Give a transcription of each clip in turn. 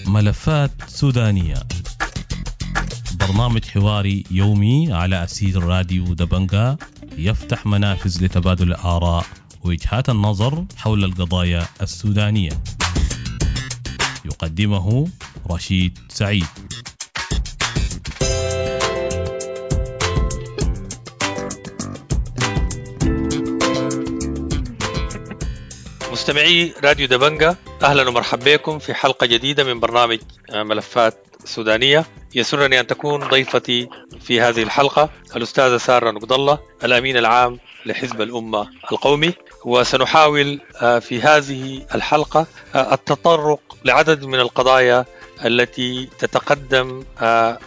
ملفات سودانية، برنامج حواري يومي على أسير راديو دبنجا، يفتح منافذ لتبادل الآراء ووجهات النظر حول القضايا السودانية. يقدمه رشيد سعيد. مستمعي راديو دبنجا، أهلا ومرحبا بكم في حلقة جديدة من برنامج ملفات سودانية. يسرني أن تكون ضيفتي في هذه الحلقة الأستاذة سارة نقد الله، الأمين العام لحزب الأمة القومي، وسنحاول في هذه الحلقة التطرق لعدد من القضايا التي تتقدم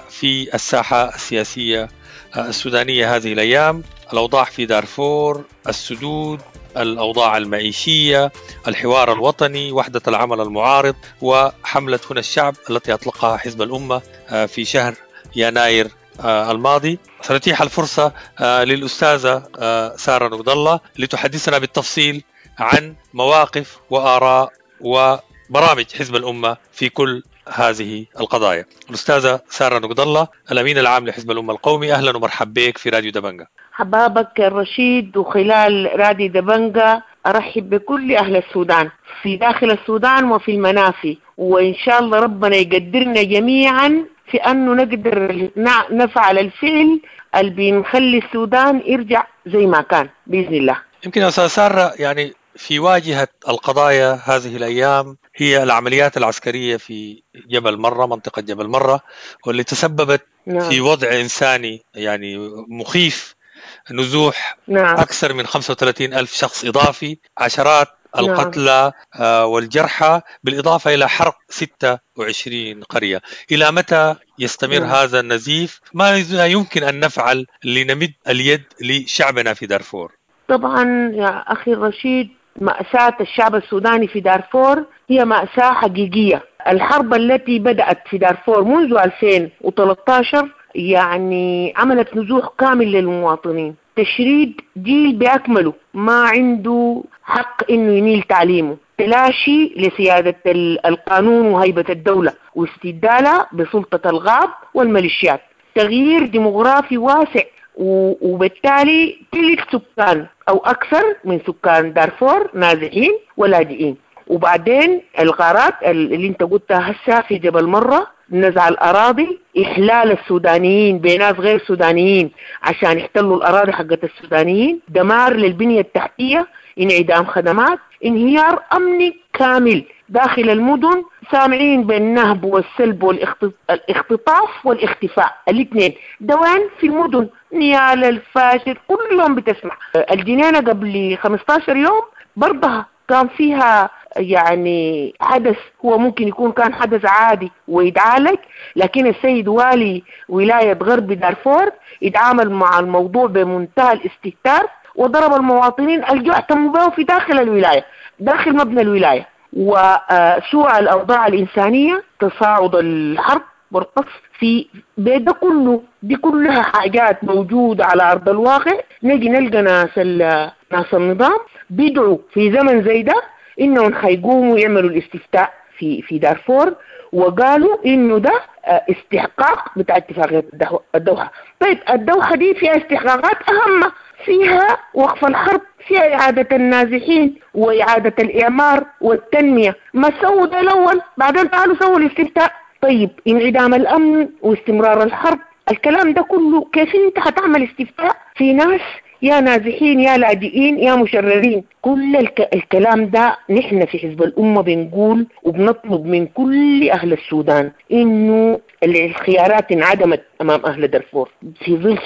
في الساحة السياسية السودانية هذه الأيام: الأوضاع في دارفور، السدود، الأوضاع المعيشية، الحوار الوطني، وحدة العمل المعارض، وحملة هنا الشعب التي أطلقها حزب الأمة في شهر يناير الماضي. سنتيح الفرصة للأستاذة سارة نقد الله لتحدثنا بالتفصيل عن مواقف وآراء وبرامج حزب الأمة في كل هذه القضايا. الأستاذة سارة نقد الله، الأمين العام لحزب الأمة القومي، أهلا ومرحبا بك في راديو دبنجا. حبابك الرشيد، وخلال راديو دبنجا أرحب بكل أهل السودان في داخل السودان وفي المنافي، وإن شاء الله ربنا يقدرنا جميعا في أنه نقدر نفعل الفعل اللي بنخلي السودان يرجع زي ما كان بإذن الله. يمكن يا أستاذ سارة، يعني في واجهة القضايا هذه الأيام هي العمليات العسكرية في جبل مرة، منطقة جبل مرة، واللي تسببت في وضع إنساني يعني مخيف، نزوح أكثر من 35 ألف شخص إضافي، عشرات القتلى والجرحى، بالإضافة إلى حرق 26 قرية. إلى متى يستمر هذا النزيف؟ ما يمكن أن نفعل لنمد اليد لشعبنا في دارفور؟ طبعا يا أخي الرشيد، مأساة الشعب السوداني في دارفور هي مأساة حقيقية. الحرب التي بدأت في دارفور منذ 2013 يعني عملت نزوح كامل للمواطنين، تشريد جيل بأكمله ما عنده حق إنه ينيل تعليمه، تلاشي لسيادة القانون وهيبة الدولة واستبدالها بسلطة الغاب والميليشيات، تغيير ديموغرافي واسع، وبالتالي تلت سكان أو أكثر من سكان دارفور نازحين ولاجئين. وبعدين الغارات اللي انت قلتها هسه في جبل مرة، نزع الأراضي، إحلال السودانيين بناس غير سودانيين عشان يحتلوا الأراضي حقت السودانيين، دمار للبنية التحتية، انعدام خدمات، انهيار أمني كامل داخل المدن، سامعين بالنهب والسلب والاختطاف والاختفاء، الاثنين دوان في المدن، نيال الفاشل كل يوم بتسمع. الجنينة قبل 15 يوم برضها كان فيها يعني حدث، هو ممكن يكون كان حدث عادي ويتعالج، لكن السيد والي ولاية غرب دارفور يتعامل مع الموضوع بمنتهى الاستهتار وضرب المواطنين الجوع تموا في داخل الولاية، داخل مبنى الولاية. وسوء الأوضاع الإنسانية، تصاعد الحرب والقصف في ده كله، دي كلها حاجات موجودة على أرض الواقع. نجي نلقى ناس النظام بيدعوا في زمن زي ده إنهم حيقوموا يعملوا الاستفتاء في دارفور، وقالوا إنه ده استحقاق بتاع اتفاقية الدوحة. طيب الدوحة دي فيها استحقاقات أهم، فيها وقف الحرب، فيها إعادة النازحين وإعادة الإعمار والتنمية. ما سووا ده الأول، بعدين تعالوا سووا الاستفتاء. طيب انعدام الأمن واستمرار الحرب، الكلام ده كله كيف انت هتعمل استفتاء في ناس يا نازحين يا لاجئين يا مشردين؟ كل الكلام ده نحن في حزب الأمة بنقول وبنطلب من كل أهل السودان إنه الخيارات انعدمت أمام أهل دارفور في ظل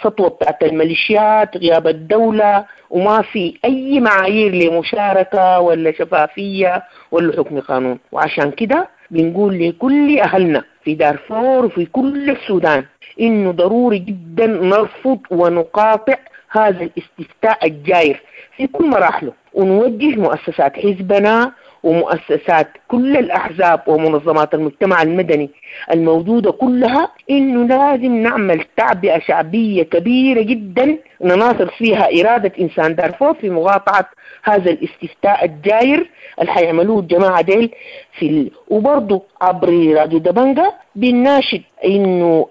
سطوة بتاعت الميليشيات، غياب الدولة، وما في أي معايير لمشاركة ولا شفافية ولا حكم قانون. وعشان كده بنقول لكل أهلنا في دارفور وفي كل السودان إنه ضروري جدا نرفض ونقاطع هذا الاستفتاء الجاير في كل مراحله، ونوجه مؤسسات حزبنا ومؤسسات كل الأحزاب ومنظمات المجتمع المدني الموجودة كلها، إنه لازم نعمل تعبئة شعبية كبيرة جدا نناصر فيها إرادة إنسان دارفور في مقاطعة هذا الاستفتاء الجاير اللي حيعملوه الجماعة ديل في وبرضه عبر راديو دبنجة بنناشد إنه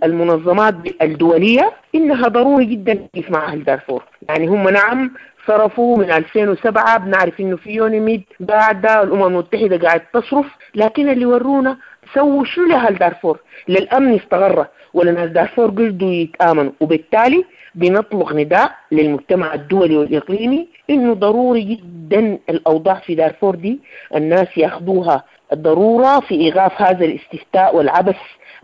المنظمات الدولية إنها ضروري جدا تقف مع أهل دارفور. يعني هم نعم صرفوا من 2007، بنعرف إنه في يونيميد قاعدة، الأمم المتحدة قاعد تصرف، لكن اللي ورونا سووا شنو لأهل دارفور؟ للأمن استغر ولا ناس دارفور قدروا يتآمنوا. وبالتالي بنطلق نداء للمجتمع الدولي والإقليمي إنه ضروري جدا الأوضاع في دارفور دي الناس ياخدوها الضرورة في إيقاف هذا الاستفتاء والعبث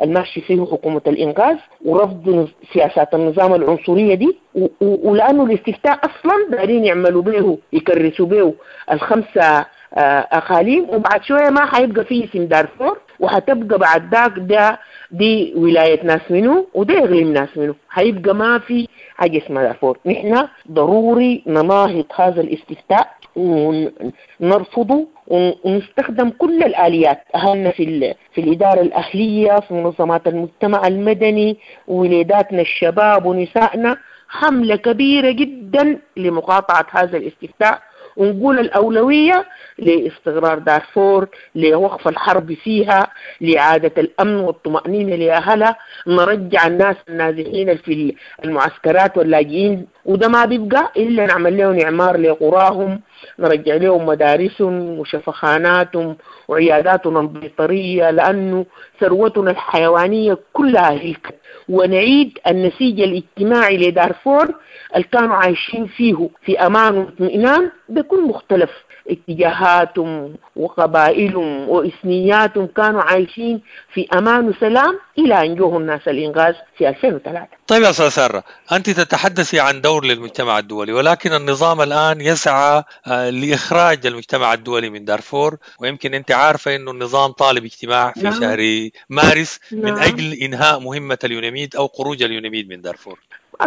الماشي فيه حكومة الإنقاذ ورفض سياسات النظام العنصرية دي، ولأنه الاستفتاء أصلا دارين يعملوا به يكرسوا به الخمسة أقاليم، وبعد شوية ما حيبقى فيه اسم دارفور، وحتبقى بعد ذاك ده دي ولاية ناس منو وده إقليم ناس منو، حيبقى ما في حاجة اسمها دارفور. نحن ضروري نناهض هذا الاستفتاء ونرفضه ونستخدم كل الآليات، أهلنا في الإدارة الأهلية، في منظمات المجتمع المدني، ولاداتنا الشباب ونسائنا، حملة كبيرة جدا لمقاطعة هذا الاستفتاء، ونقول الأولوية لاستقرار دارفور، لوقف الحرب فيها، لإعادة الأمن والطمأنينة لأهلها، نرجع الناس النازحين في المعسكرات واللاجئين، وده ما بيبقى إلا نعمل لهم إعمار لقراهم، نرجع لهم مدارسهم وشفخاناتهم وعياداتهم البيطرية، لأنه ثروتنا الحيوانية كلها هلكت، ونعيد النسيج الاجتماعي لدارفور اللي كانوا عايشين فيه في أمان واطمئنان بكل مختلف اتجاهاتهم وقبائلهم وإثنياتهم، كانوا عايشين في أمان وسلام إلى أن جوه الناس الإنغاز في 2003. طيب يا أستاذ سارة، أنت تتحدثي عن دور للمجتمع الدولي، ولكن النظام الآن يسعى لإخراج المجتمع الدولي من دارفور، ويمكن أنت عارفة أنه النظام طالب اجتماع في شهر مارس من أجل إنهاء مهمة اليونيميد أو خروج اليونيميد من دارفور.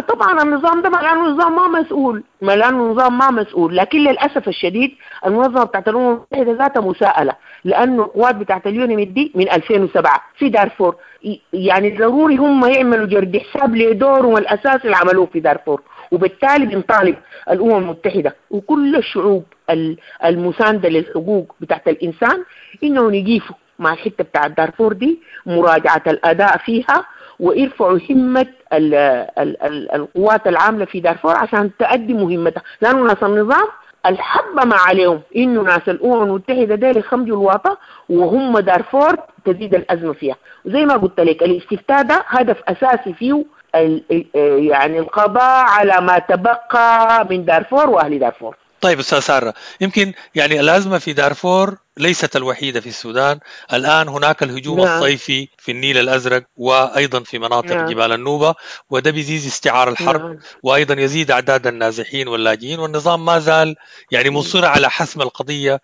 طبعا النظام ده ملانه نظام ما مسؤول، ملانه نظام ما مسؤول، لكن للاسف الشديد المنظمة بتاعت الامم المتحدة ذاتها مساءله، لانه القوات بتاعت اليونيميد دي من 2007 في دارفور، يعني ضروري هم يعملوا جرد حساب لدورهم الاساسي اللي عملوه في دارفور. وبالتالي بنطالب الامم المتحدة وكل الشعوب المساندة للحقوق بتاعت الانسان انهم يقيفوا مع الحتة بتاعت دارفور دي، مراجعه الاداء فيها، ويرفعوا همة القوات العاملة في دارفور عشان تؤدي مهمتها، لأنه ناس النظام الحبة ما عليهم إنه ناس الأمم المتحدة ديل يخمجوا الواطة وهم دارفور تزيد الأزمة فيها. وزي ما قلت لك الاستفتاء ده هدف أساسي فيه يعني القضاء على ما تبقى من دارفور وأهل دارفور. طيب أستاذ سارة، يمكن يعني الأزمة في دارفور ليست الوحيدة في السودان، الآن هناك الهجوم الصيفي في النيل الأزرق وأيضا في مناطق جبال النوبة، وده بيزيد استعار الحرب وأيضا يزيد أعداد النازحين واللاجئين، والنظام ما زال يعني مصر على حسم القضية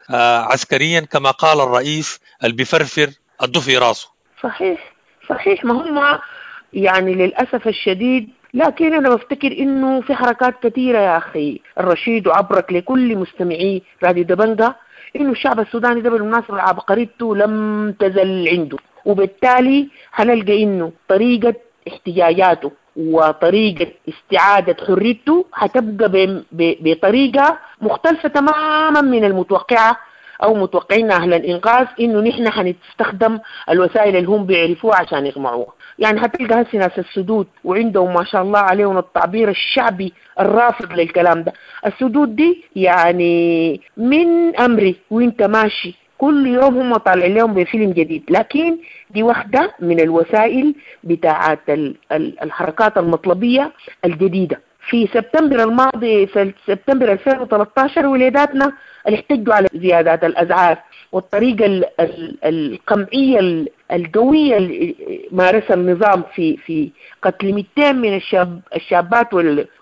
عسكريا كما قال الرئيس اللي بيفرفر الضفي راسه. صحيح صحيح، ما هم يعني للأسف الشديد. لكن أنا بفتكر إنه في حركات كثيرة يا أخي الرشيد، وعبرك لكل مستمعي راديو دبنجة إنه الشعب السوداني ده بالمناسبة عبقريته لم تزل عنده، وبالتالي هنلقى إنه طريقة احتجاجاته وطريقة استعادة حريته هتبقى بطريقة مختلفة تماما من المتوقعة أو متوقعين أهل الإنقاذ إنه نحن هنستخدم الوسائل اللي هم بيعرفوها عشان يقمعوها. يعني هتلقى هسه ناس السدود وعندهم ما شاء الله عليهم التعبير الشعبي الرافض للكلام ده، السدود دي يعني من أمري وانت ماشي كل يوم هم طالعين لهم بفيلم جديد، لكن دي واحدة من الوسائل بتاعت الحركات المطلبية الجديدة. في سبتمبر الماضي، في سبتمبر 2013، ولاداتنا اللي احتجوا على زيادات الأسعار والطريقة القمعية القوية اللي مارسها النظام في قتل 200 من الشابات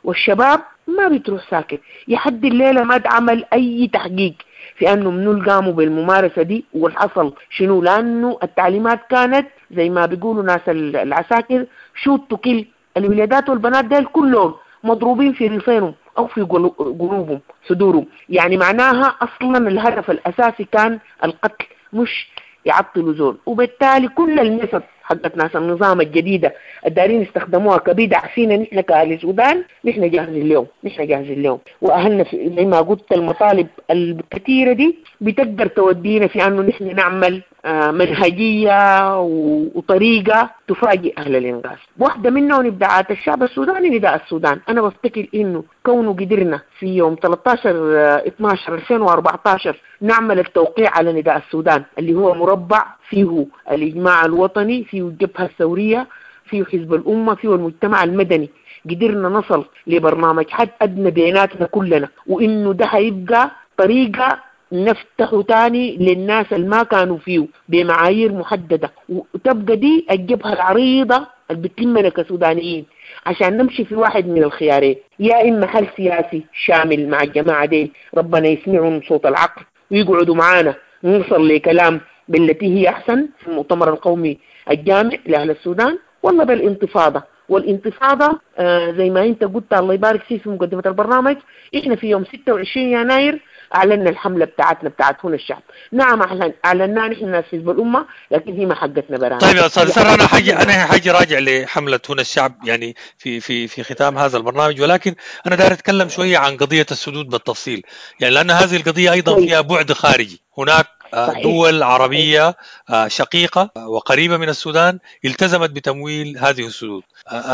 والشباب ما بتروح ساكت. لحد الليلة ما اتعمل أي تحقيق في أنه منو قاموا بالممارسة دي والحصل شنو، لأنه التعليمات كانت زي ما بيقولوا ناس العساكر shoot to kill. الولادات والبنات ديل كلهم مضروبين في ريفينهم، أو في قلوبهم صدورهم. يعني معناها أصلا الهدف الأساسي كان القتل، مش يعطلوا زول. وبالتالي كل المثل حقت ناس النظام الجديدة الدارين يستخدموها كبدع فينا نحن كأهل السودان، نحن جاهزين لهم، نحن جاهزين لهم. وأهلنا زي ما قلت المطالب الكثيرة دي بتقدر تودينا في أنه نحن نعمل منهجية وطريقة تفاجئ أهل الإنقاذ. واحدة منهم إبداعات الشعب السوداني نداء السودان. أنا بفتكر إنه كونه قدرنا في يوم 13/12/2014 نعمل التوقيع على نداء السودان اللي هو مربع فيه الإجماع الوطني، فيه الجبهة الثورية، فيه حزب الأمة، فيه المجتمع المدني، قدرنا نصل لبرنامج حد أدنى بيناتنا كلنا، وإنه ده هيبقى طريقة نفتح تاني للناس اللي ما كانوا فيه بمعايير محددة، وتبقى دي الجبهة العريضة اللي بتلمنا كسودانيين عشان نمشي في واحد من الخيارين، يا إما حل سياسي شامل مع الجماعة دي ربنا يسمعهم صوت العقل ويقعدوا معانا نوصل لكلام بالتي هي أحسن في المؤتمر القومي الجامع لأهل السودان، والله بالانتفاضة. والانتفاضة زي ما انت قلت الله يبارك فيك في مقدمة البرنامج، احنا في يوم 26 يناير اعلنا الحملة بتاعتنا بتاعت هنا الشعب. نعم اعلناها نحن ناس حزب الأمة، لكن هي ما حقتنا برانا. طيب يا استاذ سارة، انا حاجي راجع لحملة هنا الشعب يعني في في في ختام هذا البرنامج، ولكن انا داير اتكلم شوية عن قضية السدود بالتفصيل، يعني لان هذه القضية ايضا فيها بعد خارجي. هناك دول عربية شقيقة وقريبة من السودان التزمت بتمويل هذه السدود.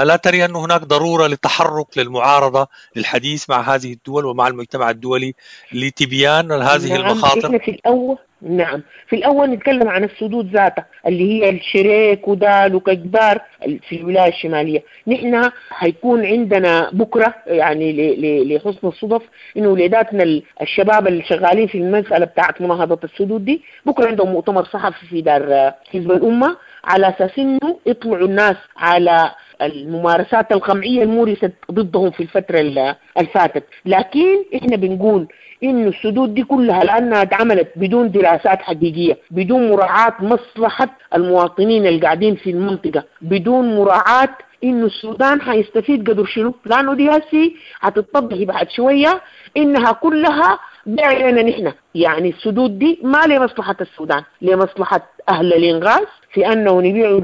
ألا تري أن هناك ضرورة للتحرك للمعارضة للحديث مع هذه الدول ومع المجتمع الدولي لتبيان هذه المخاطر؟ إحنا في الأول، نعم في الأول نتكلم عن السدود ذاتها اللي هي الشريك ودال وكجبار في الولاية الشمالية. نحن حيكون عندنا بكرة يعني لحسن الصدف إنه ولاداتنا الشباب اللي شغالين في المسألة بتاعت مناهضة السدود دي بكرة عندهم مؤتمر صحفي في دار حزب الأمة على أساس إنه يطلعوا الناس على الممارسات القمعية المورست ضدهم في الفترة اللي فاتت. لكن إحنا بنقول إنه السدود دي كلها لأنها اتعملت بدون دراسات حقيقية، بدون مراعاة مصلحة المواطنين اللي قاعدين في المنطقة، بدون مراعاة إنه السودان حيستفيد قدر شنو، لأنه دي هسي هتتطبق بعد شوية إنها كلها بيع لنا نحن. يعني السدود دي ما لمصلحة السودان، لمصلحة أهل الإنغاز في أنه نبيعوا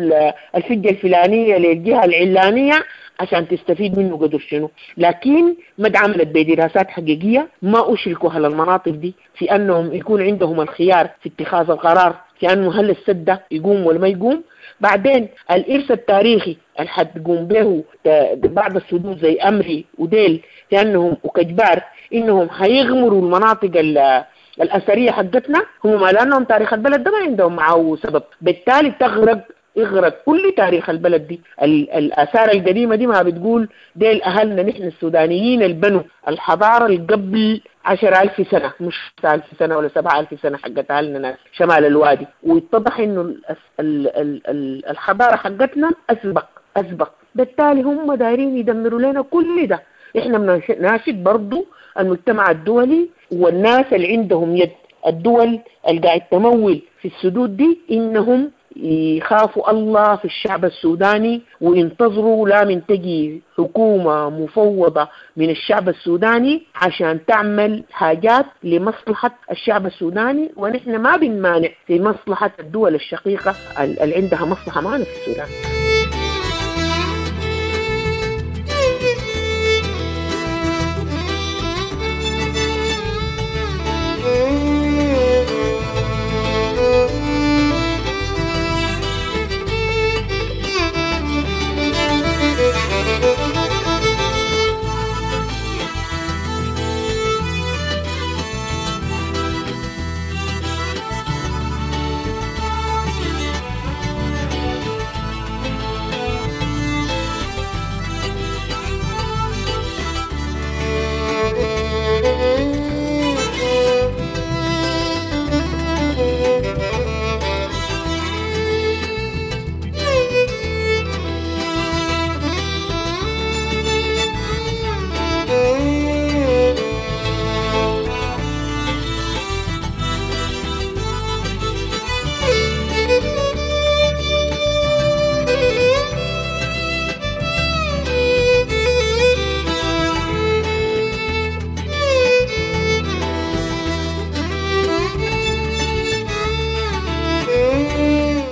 الفجة الفلانية للجهة العلانية عشان تستفيد منه قدر شنو. لكن ما اتعملت بدراسات حقيقية، ما أشركوا أهل المناطق دي في أنهم يكون عندهم الخيار في اتخاذ القرار في أنه هل السد ده يقوم ولا ما يقوم. بعدين الإرث التاريخي اللي حتقوم به بعض السدود زي أمري وديل في أنهم وكجبار إنهم حيغمروا المناطق الأثرية حقتنا، هم ما لأنهم تاريخ البلد ده ما عندهم معه سبب، بالتالي تغرق اغرق كل تاريخ البلد دي. الآثار القديمة دي ما بتقول ديل أهلنا نحن السودانيين البنو الحضارة اللي قبل 10,000 سنة، مش 1000 سنة ولا 7,000 سنة حقت أهلنا ناس شمال الوادي. ويتضح إنه الحضارة حقتنا أسبق، بالتالي هم دايرين يدمروا لنا كل ده. إحنا بنناشد برضو المجتمع الدولي والناس اللي عندهم يد، الدول اللي قاعد تمول في السدود دي، إنهم يخافوا الله في الشعب السوداني وينتظروا لا من تجي حكومة مفوضة من الشعب السوداني عشان تعمل حاجات لمصلحة الشعب السوداني. ونحن ما بنمانع في مصلحة الدول الشقيقة اللي عندها مصلحة معنا في السودان.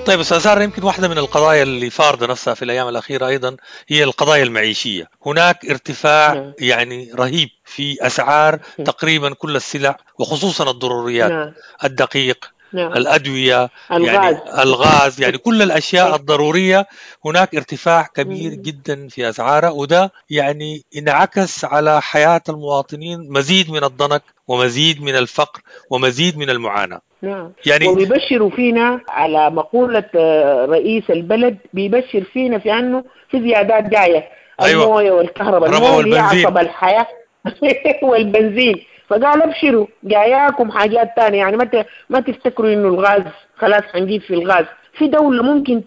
طيب أستاذ سارة، يمكن واحدة من القضايا اللي فارضة نفسها في الأيام الأخيرة أيضا هي القضايا المعيشية. هناك ارتفاع يعني رهيب في أسعار تقريبا كل السلع، وخصوصا الضروريات، الدقيق، الأدوية، الغاز. يعني الغاز، يعني كل الأشياء الضرورية هناك ارتفاع كبير جدا في أسعارها، وده يعني انعكس على حياة المواطنين، مزيد من الضنك ومزيد من الفقر ومزيد من المعاناة. نعم. يعني وبيبشروا فينا على مقولة رئيس البلد، بيبشر فينا في أنه في زيادات جاية. أيوة. الموية والكهرباء، الموية عصب الحياة والبنزين، فقال ابشروا جاياكم حاجات تانية. يعني ما تفتكروا انه الغاز خلاص حنجيب في الغاز. في دولة ممكن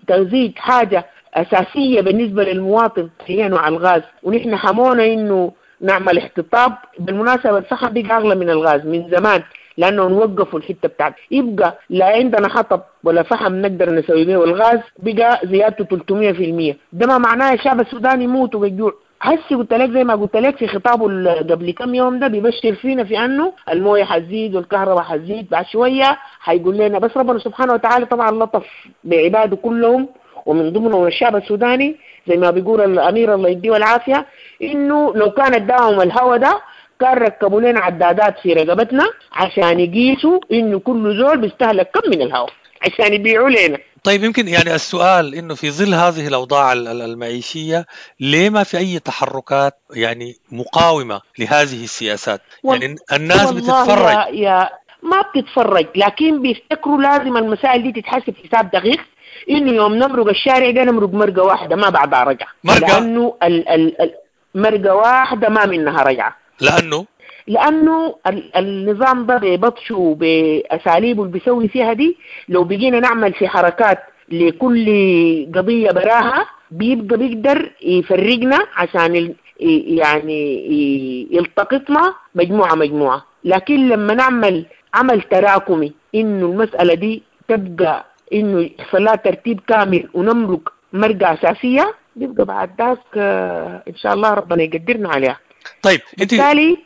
تزيد حاجة أساسية بالنسبة للمواطن هي نوع الغاز، ونحن حمونا انه نعمل احتطاب. بالمناسبة الفحم بقى أغلى من الغاز من زمان، لأنه نوقفوا الحتة بتاعت، يبقى لا عندنا حطب ولا فحم نقدر نسوي به، والغاز بقى زيادته 300%. ده ما معناه الشعب السوداني يموت وبالجوع. هسي قلت لك زي ما قلت لك في خطابه قبل كم يوم ده، بيبشر فينا في انه المويه حتزيد والكهرباء حتزيد بعد شويه، حيقول لنا بس ربنا سبحانه وتعالى طبعا لطف بعباده كلهم ومن ضمنهم الشعب السوداني، زي ما بيقول الامير الله يديه العافيه، انه لو كان اداهم الهوى ده كان ركبوا لنا عدادات في رقبتنا عشان يقيسوا انه كل زول بيستهلك كم من الهواء عشان يبيعوا لنا. طيب يمكن يعني السؤال إنه في ظل هذه الأوضاع المعيشية ليه ما في أي تحركات يعني مقاومة لهذه السياسات؟ يعني الناس بتتفرج. يا ما بتتفرج، لكن بيفتكروا لازم المسائل دي تتحسب حساب دقيق، إنه يوم نمرق الشارع ده نمرق مرقة واحدة ما بعدها رجعة. مرقة؟ لأنه مرقة واحدة ما منها رجعة. لأنه النظام ده ببطشه بأساليبه اللي بيسوي فيها دي، لو بقينا نعمل في حركات لكل قضية براها بيبقى بيقدر يفرقنا عشان يعني يلتقطنا مجموعة مجموعة. لكن لما نعمل عمل تراكمي إنه المسألة دي تبقى إنه يحصل لها ترتيب كامل ونمرق مرقة أساسية، بيبقى بعد ذاك إن شاء الله ربنا يقدرنا عليها. طيب انت بالتالي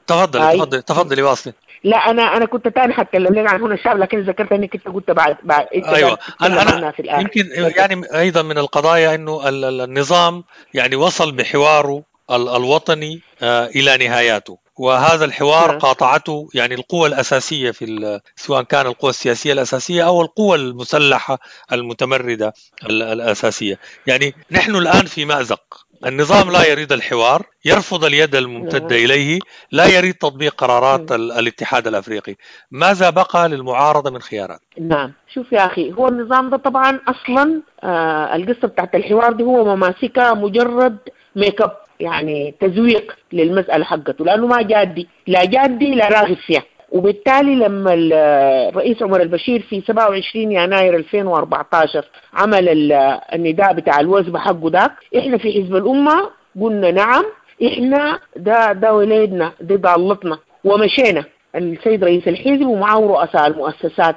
تفضلي تفضلي واصلي. لا انا كنت تاني حتكلم لك عن هنا الشعب، لكن ذكرت انك انت قلت بعد ايوه. انا في الآخر. يمكن يعني ايضا من القضايا انه النظام يعني وصل بحواره الوطني الى نهاياته، وهذا الحوار قاطعته يعني القوى الأساسية في سواء كان القوى السياسية الأساسية أو القوى المسلحة المتمردة الأساسية. يعني نحن الآن في مأزق، النظام لا يريد الحوار، يرفض اليد الممتدة إليه، لا يريد تطبيق قرارات الاتحاد الأفريقي. ماذا بقى للمعارضة من خيارات؟ نعم، شوف يا أخي، هو النظام ده طبعا أصلا القصة بتاعت الحوار دي هو مماسكة مجرد make up، يعني تزويق للمسألة حقته، لأنه ما جادي، لا جادي لا راغب فيها. وبالتالي لما الرئيس عمر البشير في 27 يناير 2014 عمل النداء بتاع الوزبة حقه داك، احنا في حزب الأمة قلنا نعم، احنا ده ولادنا، دي ضالتنا، ومشينا. السيد رئيس الحزب ومعه رؤساء المؤسسات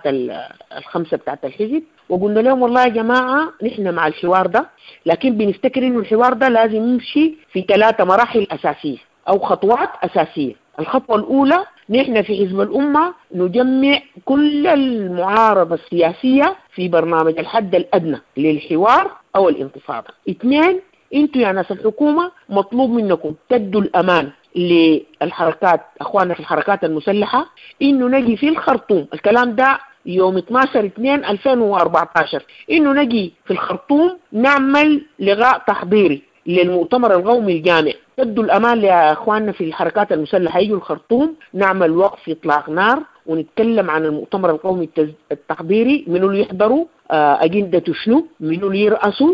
الخمسة بتاعت الحزب، وقلنا لهم والله يا جماعة نحن مع الحوار ده، لكن بنفتكر انه الحوار ده لازم يمشي في 3 مراحل أساسية أو خطوات أساسية. الخطوة الأولى، نحن في حزب الأمة نجمع كل المعارضة السياسية في برنامج الحد الأدنى للحوار أو الانتفاضة. 2، انتوا يا ناس الحكومة مطلوب منكم تدوا الأمان للحركات، أخواننا في الحركات المسلحة، إنه نجي في الخرطوم، الكلام ده يوم 12/2/2014، إنه نجي في الخرطوم نعمل لغاء تحضيري للمؤتمر القومي الجامع. تدوا الأمان لأخواننا في الحركات المسلحة يجوا الخرطوم، نعمل وقف إطلاق نار ونتكلم عن المؤتمر القومي التحضيري، منو اللي يحضروا، أجندته شنو، منو اللي يرأسوا،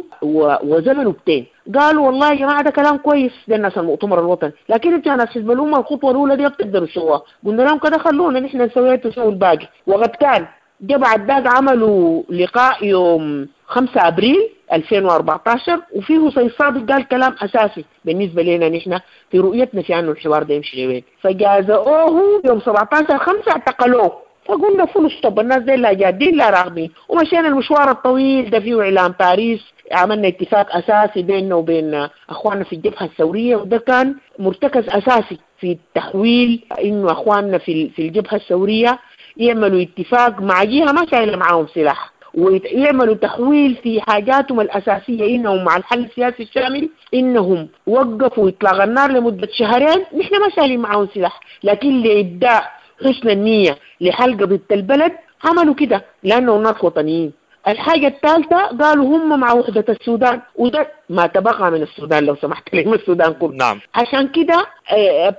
وزمنه بتين. قالوا والله يا جماعة ده كلام كويس، ده الناس المؤتمر الوطني، لكن انتوا يا ناس حزب الأمة الخطوة الأولى دي بتقدروا تسووها. قلنا لهم كده خلونا نحن نسويها تسووا الباقي. وقد كان جا بعد ذاك عملوا لقاء يوم 5 أبريل 2014، وفيه سيد صادق قال كلام أساسي بالنسبة لنا نحن في رؤيتنا في أنه الحوار ده يمشي لوين. فجازؤوه يوم 17/5 اعتقلوه. فقلنا full stop، الناس دي لا جادين لا راغبين، ومشينا المشوار الطويل ده فيه إعلان باريس، عملنا اتفاق أساسي بيننا وبين أخواننا في الجبهة الثورية، وده كان مرتكز أساسي في التحويل إنه أخواننا في الجبهة الثورية يعملوا اتفاق مع جهة ما شايلة معاهم سلاح. ويعملوا تحويل في حاجاتهم الأساسية، إنهم مع الحل السياسي الشامل، إنهم وقفوا إطلاق النار لمدة شهرين. نحن ما شايلين معاهم سلاح، لكن لإبداء حسن النية لحل قضية البلد عملوا كده لأنه الناس وطنيين. الحاجة الثالثة قالوا هم مع وحدة السودان، وده ما تبقى من السودان لو سمحت لي، من السودان كله. نعم. عشان كده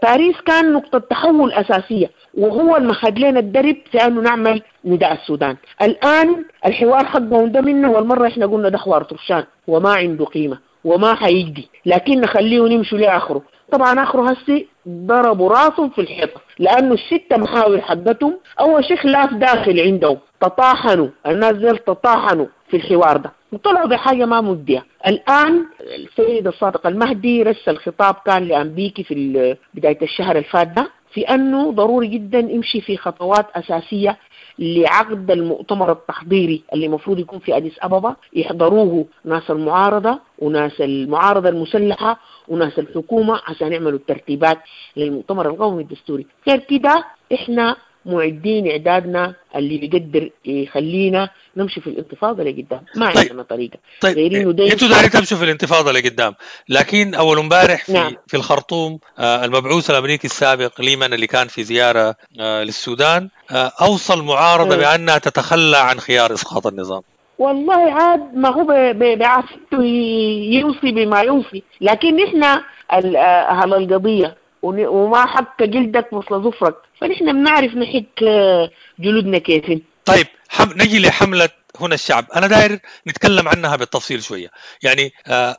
باريس كان نقطة تحول أساسية، وهو المخد لنا الدرب في أنه نعمل نداء السودان. الآن الحوار حقهم ده منه، والمرة إحنا قلنا ده حوار طرشان وما عنده قيمة وما حيجدي، لكن نخليه نمشوا لآخره. طبعا آخره هسي ضربوا راسهم في الحيطة، لأنه الستة محاور حقتهم أول شيء خلاف داخل عندهم، تطاحنوا الناس زي تطاحنوا في الحوار ده وطلعوا بحاجة ما مجدية. الآن السيد الصادق المهدي رسل خطاب كان لأمبيكي في بداية الشهر الفات ده، في أنه ضروري جدا يمشي في خطوات أساسية لعقد المؤتمر التحضيري اللي المفروض يكون في أديس أبابا، يحضروه ناس المعارضة وناس المعارضة المسلحة وناس الحكومة عشان يعملوا الترتيبات للمؤتمر القومي الدستوري. غير كده إحنا معدين إعدادنا اللي بيقدر يخلينا نمشي في الانتفاضة لقدام، ما طيب. عندنا طريقة. طيب انتوا دايرين تمشوا في الانتفاضة لقدام، لكن أول امبارح في, نعم. في الخرطوم المبعوث الأمريكي السابق ليمان اللي كان في زيارة للسودان أوصى المعارضة بأنها تتخلى عن خيار إسقاط النظام. والله عاد ما هو بعافيته يوصي بما يوصي، لكن نحن أهل القضية وما حك جلدك مثل ظفرك، فنحن بنعرف نحك جلودنا كيف. طيب نجي لحملة هنا الشعب، أنا داير نتكلم عنها بالتفصيل شوية. يعني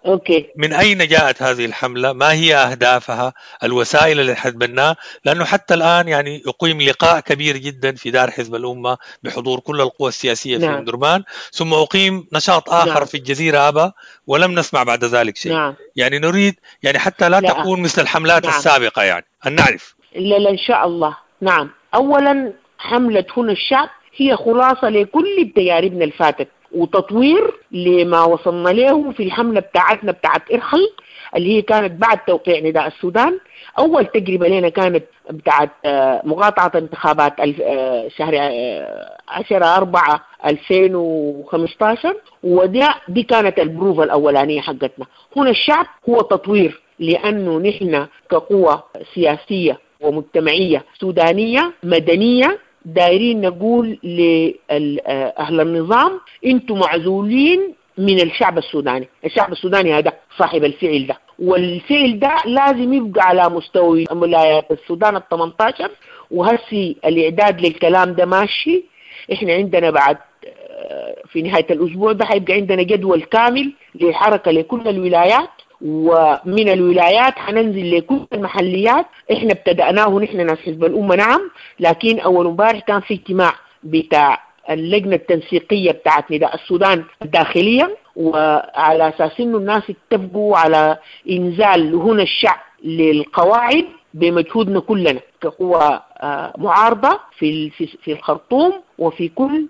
okay. من أين جاءت هذه الحملة؟ ما هي أهدافها؟ الوسائل اللي حتبناها؟ لأنه حتى الآن يعني يقيم لقاء كبير جدا في دار حزب الأمة بحضور كل القوى السياسية نعم. في أمدرمان، ثم أقيم نشاط آخر نعم. في الجزيرة أبا، ولم نسمع بعد ذلك شيء. نعم. يعني نريد يعني حتى لا تكون مثل الحملات نعم. السابقة، يعني أن نعرف. لا إن شاء الله. نعم. أولا حملة هنا الشعب هي خلاصة لكل تجاربنا الفاتت وتطوير لما وصلنا له في الحملة بتاعتنا بتاعت إرحل اللي هي كانت بعد توقيع نداء السودان. أول تجربة لنا كانت بتاعت مقاطعة انتخابات شهر 10/4/2015، وده دي كانت البروفة الأولانية حقتنا. هنا الشعب هو تطوير، لأنه نحن كقوة سياسية ومجتمعية سودانية مدنية دايرين نقول لأهل النظام انتم معزولين من الشعب السوداني. الشعب السوداني هذا صاحب الفعل ده، والفعل ده لازم يبقى على مستوى ولايات السودان 18. وهسي الإعداد للكلام ده ماشي، احنا عندنا بعد في نهاية الأسبوع ده حيبقى عندنا جدول كامل للحركة لكل الولايات، ومن الولايات حننزل لكل المحليات. احنا ابتدأناه نحن ناس حزب الأمة نعم، لكن أول امبارح كان في اجتماع بتاع اللجنة التنسيقية بتاعت نداء السودان الداخلية، وعلى أساس إنه الناس اتفقوا على إنزال هنا الشعب للقواعد بمجهودنا كلنا كقوة معارضة في في الخرطوم وفي كل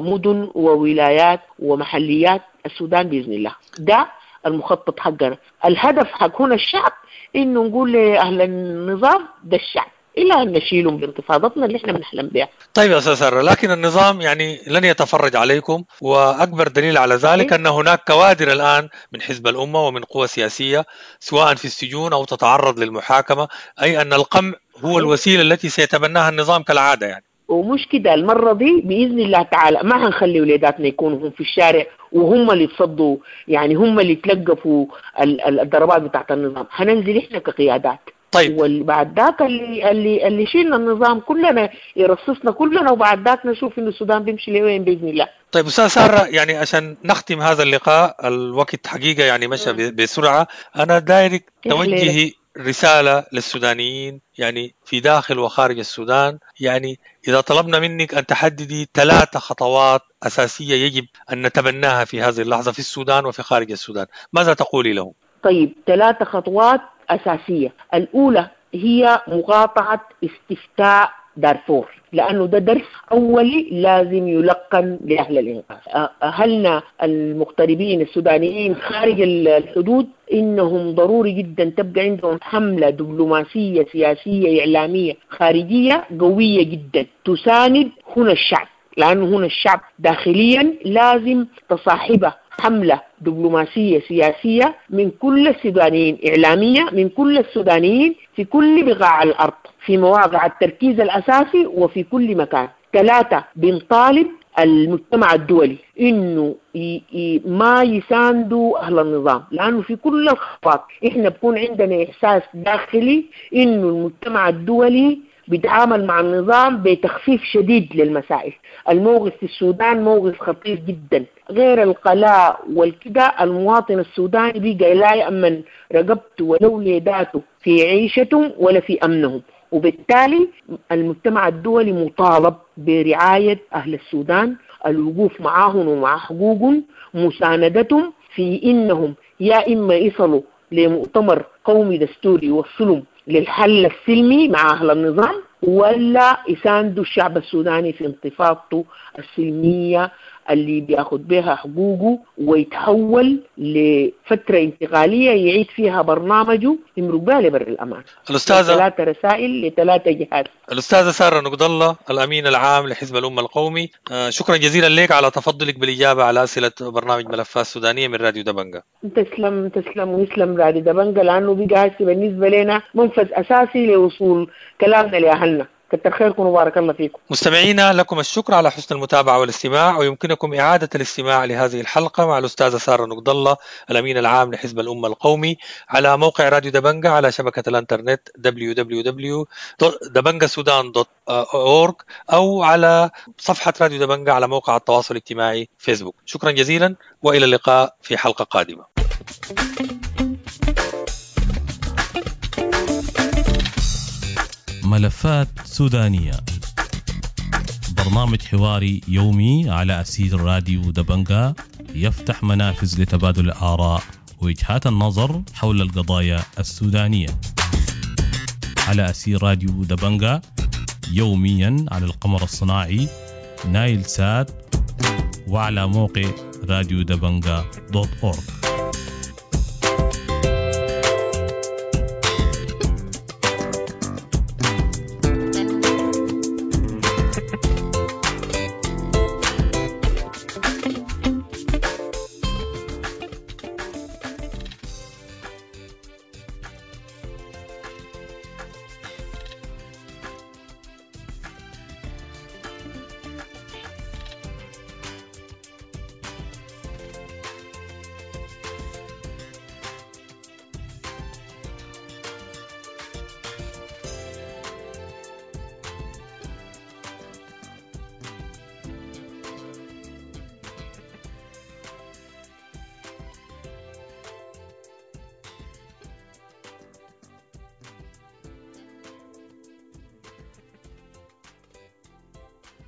مدن وولايات ومحليات السودان بإذن الله. ده المخطط حقنا. الهدف حق هنا الشعب إنه نقول لأهل النظام ده الشعب، إلى أن نشيلهم بانتفاضتنا اللي إحنا بنحلم بها. طيب يا أستاذ سارة، لكن النظام يعني لن يتفرج عليكم، وأكبر دليل على ذلك أن هناك كوادر الآن من حزب الأمة ومن قوى سياسية سواء في السجون أو تتعرض للمحاكمة، أي أن القمع هو الوسيلة التي سيتبناها النظام كالعادة يعني. ومش كده المرة دي بإذن الله تعالى ما هنخلي ولاداتنا يكونوا هم في الشارع وهم اللي يتصدوا، يعني هم اللي يتلقفوا الضربات بتاعت النظام. هننزل إحنا كقيادات. طيب. وبعد ذاك اللي شيلنا النظام كلنا يرصصنا كلنا، وبعد ذاك نشوف إنه السودان بيمشي لوين بإذن الله. طيب أستاذ سارة، يعني عشان نختم هذا اللقاء، الوقت حقيقة يعني مشى بسرعة، أنا دايرك توجهي رسالة للسودانيين يعني في داخل وخارج السودان. يعني إذا طلبنا منك أن تحددي 3 خطوات أساسية يجب أن نتبناها في هذه اللحظة في السودان وفي خارج السودان، ماذا تقولي لهم؟ طيب 3 خطوات أساسية. الأولى هي مقاطعة استفتاء دارفور، لأنه ده درس أولي لازم يلقن لأهل الإنقاذ. أهلنا المغتربين السودانيين خارج الحدود إنهم ضروري جدا تبقى عندهم حملة دبلوماسية سياسية إعلامية خارجية قوية جدا تساند هنا الشعب، لأنه هنا الشعب داخليا لازم تصاحبه حملة دبلوماسية سياسية من كل السودانيين، إعلامية من كل السودانيين في كل بقاع الأرض، في مواقع التركيز الأساسي وفي كل مكان. 3، بنطالب المجتمع الدولي إنه ما يساندوا أهل النظام، لأنه في كل الخطوات إحنا بكون عندنا إحساس داخلي إنه المجتمع الدولي بيتعامل مع النظام بتخفيف شديد للمسائل. الموقف في السودان موقف خطير جدا، غير القلاء والكده المواطن السوداني بقى لا يأمن رقبته ولا وليداته في عيشتهم ولا في أمنهم، وبالتالي المجتمع الدولي مطالب برعاية أهل السودان، الوقوف معاهم ومع حقوقهم، مساندتهم في إنهم يا إما يصلوا لمؤتمر قومي دستوري يوصلهم للحل السلمي مع أهل النظام، ولا يساندوا الشعب السوداني في انتفاضته السلمية اللي بياخد بها حقوقه ويتحول لفترة انتقالية يعيد فيها برنامجه يمرق بها لبر الأمان. الأستاذة 3 رسائل ل3 جهات. الأستاذة سارة نقد الله، الأمين العام لحزب الأمة القومي، شكرا جزيلا لك على تفضلك بالإجابة على أسئلة برنامج ملفات سودانية من راديو دبنجة. تسلم تسلم ويسلم راديو دبنجة، لأنه بقى بالنسبة لنا منفذ أساسي لوصول كلامنا لأهلنا. كتر خيركم وبارك الله فيكم. مستمعينا، لكم الشكر على حسن المتابعة والاستماع، ويمكنكم إعادة الاستماع لهذه الحلقة مع الأستاذة سارة نقد الله الأمين العام لحزب الأمة القومي على موقع راديو دبنجة على شبكة الانترنت www.dabangasudan.org أو على صفحة راديو دبنجة على موقع التواصل الاجتماعي فيسبوك. شكرا جزيلا وإلى اللقاء في حلقة قادمة. ملفات سودانية، برنامج حواري يومي على أثير راديو دبنجة، يفتح منافذ لتبادل الآراء ووجهات النظر حول القضايا السودانية على أثير راديو دبنجة، يوميا على القمر الصناعي نايل سات وعلى موقع راديو دبنجة .org.